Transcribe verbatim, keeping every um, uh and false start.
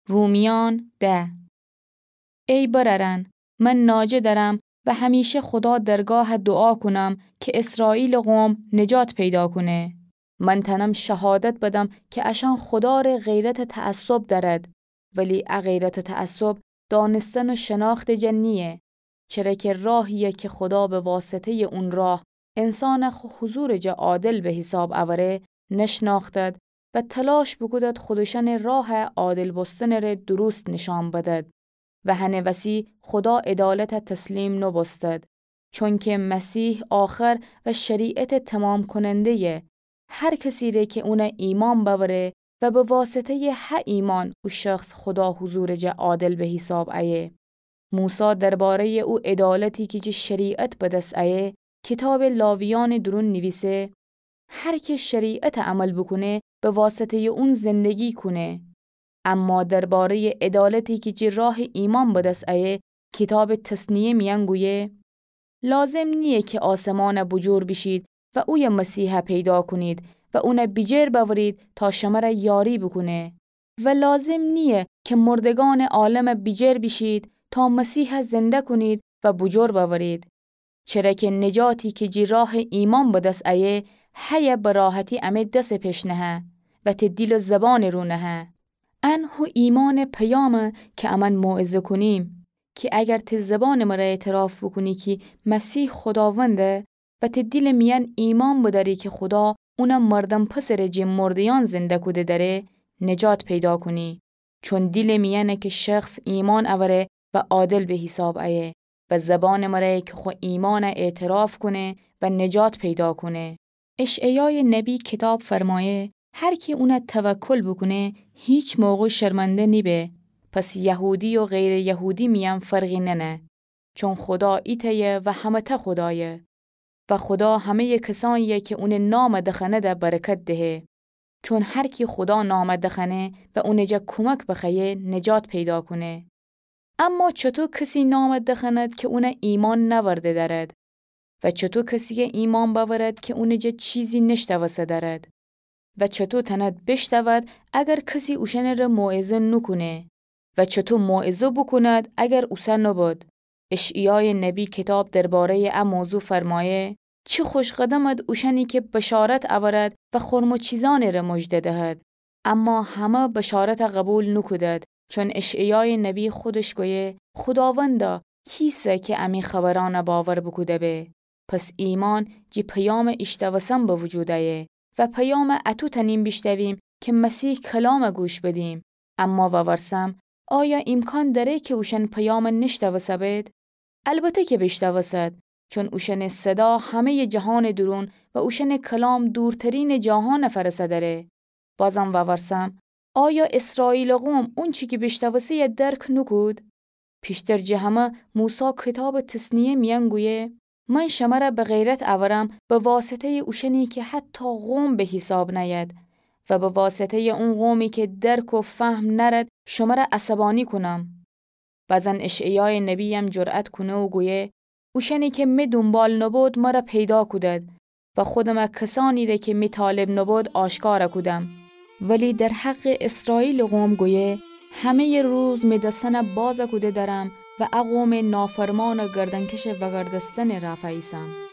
رومیان ده. ای برأرأن، من ناجه دأرم و همیشه خودا درگاه دوعا کونم کی اسرائیلٚ قوم نجات پیدا کونه. من تأنم شهادت بدم کی اشأن خودا ره غیرتٚ تعصب دأرد، ولی ا غیرتٚ تعصب دانستن و شناختٚ جا نییه، چره کی راهیی کی خودا به واسطه‌یٚ اون راه انسان خو حضورٚ جا عادل به حیساب اوره نشناختد و تلاش بوکودد خودشأنٚ راه عادل بوستنٚ ره درست نشأن بدد. و هنٚ وسی خودا عدالت تسلیم نوبوستد، چونکی مسیح آخر و شریعتٚ تمام کننده‌یه. هر کسی ره کی اون ایمأن بأوره و به واسطه‌یٚ هه ایمأن او شخص خودا حضورٚ جا عادل به حیساب ایه. موسی درباره‌یٚ او عدالتی کی جٚه شریعت به دس ایه، کیتابٚ لاویأنٚ دورون نیویسه: هر کی شریعت عمل بوکونه، به واسطه‌یٚ اون زندگی کونه. اما درباره‌یٚ عدالتی کی جٚه راهٚ ایمأن به دس ایه، کیتابٚ تثنیه میأن گویه: لازم نییه کی آسمان بوجور بیشید و اویه مسیح پیدا کونید و اون بیجیر بأورید تا شمر یاری بوکونه. و لازم نییه کی مردگأنٚ عالم بیجیر بیشید تا مسیح زنده کونید و بوجور بأورید. چره کی نجاتی کی جٚه راهٚ ایمأن به دس ایه، هیه به راحتی امه دسٚ پش نهه و ته دیل و زبانٚ رو نهه. ان هو ایمأنٚ پیامه کی امأن موعظه کونیم، کی اگر ته زبانٚ مره اعتراف بوکونی کی مسیح خوداونده و ته دیلٚ میأن ایمأن بدأری کی خودا اون مردم پسر جٚه مرده‌یأن زنده کوده دأره، نجات پیدا کونی. چون دیلٚ میأنه کی شخص ایمأن اوره و عادل به حیساب ایه و زبانٚ مره کی خو ایمأن اعتراف کونه و نجات پیدا کونه. اشعیایٚ نبی کیتاب فرمایه: هر کی اون توکل بوکونه، هیچ موقع شرمنده نیبه. پس یهودی و غیرٚ یهودی میأن فرقی ننه، چون خودا ایتأیه و همه‌تأ خودایه. و خودا همه‌یٚ کسأنیی کی اونٚ نام دخنده برکت دهه. چون هر کی خودا نام دخنه و اونٚ جا کومک بخوأیه، نجات پیدا کونه. اما چوطو کسی نام دخند کی اون ایمأن نأورده دأرد؟ و چوطو کسیی ایمأن بأورد کی اونٚ جا چیزی نیشتأوسته دأرد؟ و چوطو تأند بیشتأود اگر کسی اوشأنٚ ره موعظه نوکونه؟ و چوطو موعظه بوکوند اگر اوسه نوبود؟ اشعیایٚ نبی کیتاب درباره‌یٚ ا موضوع فرمایه: چی خوشقدمد اوشأنی کی بشارت اورد و خرم و چیزأنٚ ره مژده دهد، اما همه بشارت قوبیل نوکودد. چون اشعیایٚ نبی خودش گویه: خوداوندا، کیسه کی امی خبرأن باور بوکوده به؟ پس ایمأن جٚه پیامٚ ایشتأوسن به وجود ایه و پیام اطو تأنیم بیشتأویم کی مسیح کلام گوش بدیم. اما وورسم، آیا ایمکان دأره کی اوشأن پیام نیشتأوسه‌بید؟ البته کی بیشتأوسد، چون اوشأنٚ صدا همه‌یٚ جهانٚ دورون و اوشأنٚ کلام دورترینٚ جاهان فأرسه‌دأره. بازم وورسم، آیا اسرائیلٚ قوم اونچی کی بیشتأوسه‌یه درک نوکود؟ پیشتر جٚه همه موسی کیتابٚ تثنیه میأن گویه: من شمر به غیرت اورم به واسطه‌یٚ اوشأنی کی حتی قوم به حیساب نأید و به واسطه‌یٚ اون قومی کی درک و فهم نأرد شمر عصبأنی کونم. بازن اشعیایٚ نبییم جرأت کونه و گویه: اوشأنی کی می دونبال نوبود مر پیدا کودد و خودم کسأنی ره کی می طالب نوبود آشکار کودم. ولی در حقٚ اسرائیلٚ قوم گویه: همه‌یٚ روز می دسأن باز کوده دأرم و ا قومٚ نافرمان و گردنکش وأگردستنٚ رأ فأیسم.